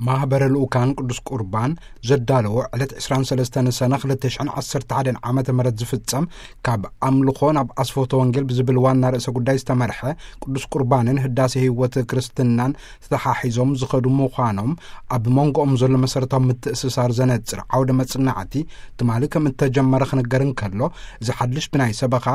ማህበረ ልኡካን ቅዱስ ቁርባን ዘዳለዎ ዕለት ዕስራን ሰለስተን ሰነ ክልተ ሽሕን ዓሰርተ ሓደን ዓመተ ምህረት ዝፍጸም ካብ ኣምልኾ ናብ ኣስፎቶ ወንጌል ብዝብል ዋና ርእሰ ጉዳይ ዝተመርሐ ቅዱስ ቁርባንን ህዳሴ ህይወት ክርስትናን ተተሓሒዞም ዝኸዱ ምዃኖም ኣብ መንጎኦም ዘሎ መሰረታዊ ምትእስሳር ዘነጽር ዓውደ መጽናዕቲ ትማሊ ከም እተጀመረ ክንገር እንከሎ፣ እዚ ሓድሽ ብናይ ሰበኻ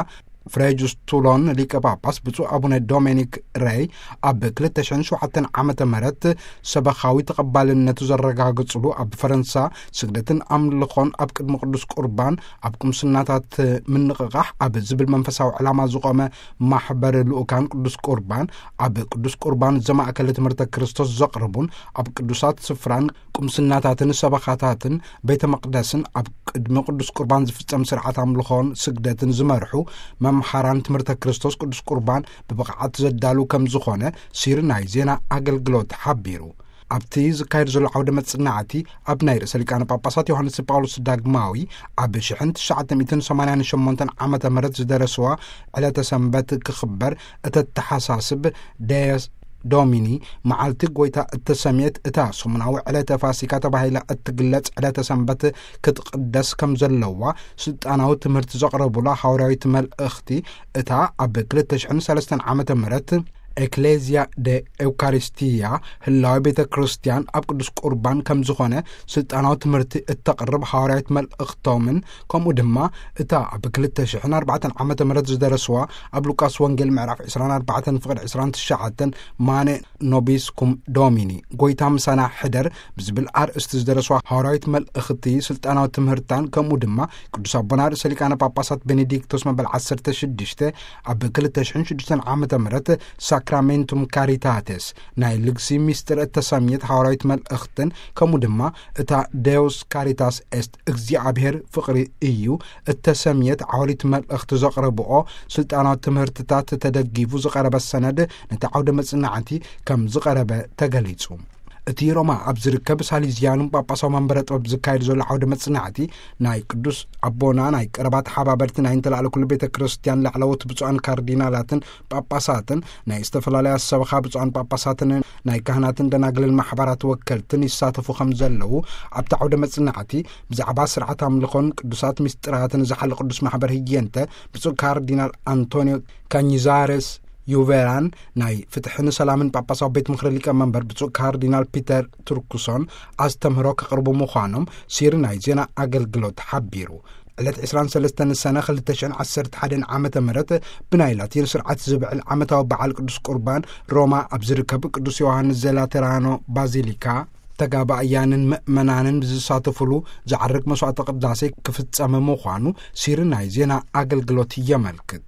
ፍሬጁስ ቱሎን ሊቀ ጳጳስ ብፁዕ ኣቡነ ዶሜኒክ ሬይ ኣብ ክልተ ሽሕን ሸውዓተን ዓመተ ምህረት ሰበኻዊ ተቐባልነቱ ዘረጋግጽሉ፣ ኣብ ፈረንሳ ስግደትን ኣምልኾን ኣብ ቅድሚ ቅዱስ ቁርባን ኣብ ቁምስናታት ምንቕቓሕ ኣብ ዝብል መንፈሳዊ ዕላማ ዝቖመ ማሕበር ልኡካን ቅዱስ ቁርባን ኣብ ቅዱስ ቁርባን ዘማእከለ ትምህርተ ክርስቶስ ዘቕርቡን ኣብ ቅዱሳት ስፍራን ቁምስናታትን ሰበኻታትን ቤተ መቕደስን ኣብ ቅድሚ ቅዱስ ቁርባን ዝፍጸም ስርዓት ኣምልኾን ስግደትን ዝመርሑ መምሃራን ትምህርተ ክርስቶስ ቅዱስ ቁርባን ብብቕዓት ዘዳሉ ከም ዝኾነ ሲሪ ናይ ዜና ኣገልግሎት ሓቢሩ። ኣብቲ ዝካየድ ዘሎ ዓውደ መጽናዕቲ ኣብ ናይ ርእሰ ሊቃነ ጳጳሳት ዮሃንስ ጳውሎስ ዳግማዊ ኣብ ሽሕን ትሽዓተ ሚእትን ሰማንያን ሸሞንተን ዓመተ ምህረት ዝደረስዋ ዕለተ ሰንበት ክኽበር እተተሓሳስብ ደየስ ዶሚኒ መዓልቲ ጎይታ እተሰምየት እታ ሰሙናዊ ዕለተ ፋሲካ ተባሂላ እትግለጽ ዕለተ ሰንበት ክትቕደስ ከም ዘለዋ ስልጣናዊ ትምህርቲ ዘቕረቡላ ሃዋርያዊት መልእኽቲ እታ ኣብ ክልተ ሽሕን ሰለስተን ዓመተ ምህረት ኤክሌዝያ ደ ኤውካሪስቲያ ህላዊ ቤተ ክርስቲያን ኣብ ቅዱስ ቁርባን ከም ዝኾነ ስልጣናዊ ትምህርቲ እተቕርብ ሃዋርያዊት መልእኽቶምን ከምኡ ድማ እታ ኣብ ክልተ ሽሕን ኣርባዕተን ዓመተ ምህረት ዝደረስዋ ኣብ ሉቃስ ወንጌል ምዕራፍ ዕስራን ኣርባዕተን ፍቕዲ ዕስራን ትሽዓተን ማነ ኖቢስኩም ዶሚኒ ጎይታ ምሳና ሕደር ብዝብል ኣርእስቲ ዝደረስዋ ሃዋርያዊት መልእኽቲ ስልጣናዊ ትምህርታን ከምኡ ድማ ቅዱስ ኣቦና ርእሰ ሊቃነ ጳጳሳት ቤኔዲክቶስ መበል ዓሰርተ ሽዱሽተ ኣብ ክልተ ሽሕን ሽዱሽተን ዓመተ ምህረት ሳክራሜንቱም ካሪታቴስ ናይ ልግሲ ሚስጥር እተሰምየት ሃዋርያዊት መልእኽትን ከምኡ ድማ እታ ዴውስ ካሪታስ ኤስት እግዚኣብሔር ፍቕሪ እዩ እተሰምየት ዓወሊት መልእኽቲ ዘቕረብኦ ስልጣናዊ ትምህርትታት ተደጊፉ ዝቐረበ ሰነድ ነቲ ዓውደ መጽናዕቲ ከም ዝቐረበ ተገሊጹ። እቲ ሮማ ኣብ ዝርከብ ሳሊዝያኑን ጳጳሳዊ መንበረ ጥበብ ዝካየድ ዘሎ ዓውደ መጽናዕቲ ናይ ቅዱስ ኣቦና ናይ ቀረባ ተሓባበርቲ ናይ እንተላዕለ ኩሉ ቤተ ክርስቲያን ላዕለዎት ብፁዓን ካርዲናላትን ጳጳሳትን ናይ ዝተፈላለያ ሰበኻ ብፁዓን ጳጳሳትን ናይ ካህናትን ደናግልን ማሕበራት ወከልትን ይሳተፉ ከም ዘለዉ ኣብቲ ዓውደ መጽናዕቲ ብዛዕባ ስርዓት ኣምልኾን ቅዱሳት ምስጢራትን ዝሓለ ቅዱስ ማሕበር ህየንተ ብፁዕ ካርዲናል ኣንቶኒዮ ካኝዛረስ ዩቬራን ናይ ፍትሕን ሰላምን ጳጳሳዊ ቤት ምኽሪ ሊቀመንበር ብፁዕ ካርዲናል ፒተር ቱርኩሶን ኣስተምህሮ ከቕርቡ ምዃኖም ሲሪ ናይ ዜና ኣገልግሎት ሓቢሩ። ዕለት ዕስራን ሰለስተን ሰነ ክልተ ሽሕን ዓሰርተ ሓደን ዓመተ ምህረት ብናይ ላቲን ስርዓት ዝብዕል ዓመታዊ በዓል ቅዱስ ቁርባን ሮማ ኣብ ዝርከብ ቅዱስ ዮሃንስ ዘላተራኖ ባዚሊካ ተጋባእያንን ምእመናንን ብዝሳተፉሉ ዝዓርግ መስዋዕተ ቅዳሴ ክፍጸም ምዃኑ ሲሪ ናይ ዜና ኣገልግሎት የመልክት።